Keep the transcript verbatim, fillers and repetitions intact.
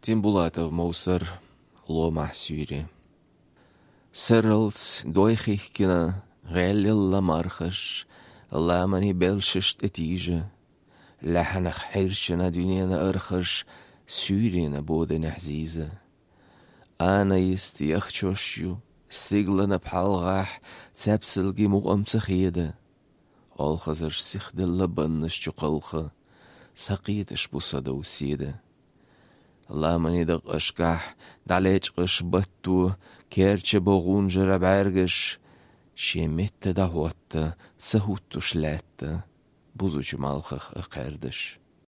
Тимбулатов Мовсар, «Ломахь суьйре». Сарралц дой хихкина, гӀелъелла мархаш, ламанийн белшаш тӀетийжа, лаьхьанах хьирчина дуьненан архаш суьйренан боданехь зийза. Ана йист яхчош ю, стигланан пхьалгӀахь цаьпсалгий мукъам ца хеда. Олхазарш сихделла баннаш чу кхалха, сакхеташ бу садов седа. Ламанийн дакъашкахь дӀалечкъаш батто, керча бо гӀунжара бӀаьргаш, шен метта дӀахӀотта, ца хӀуттуш лаьтта, бузучу малхах а кхаьрдаш.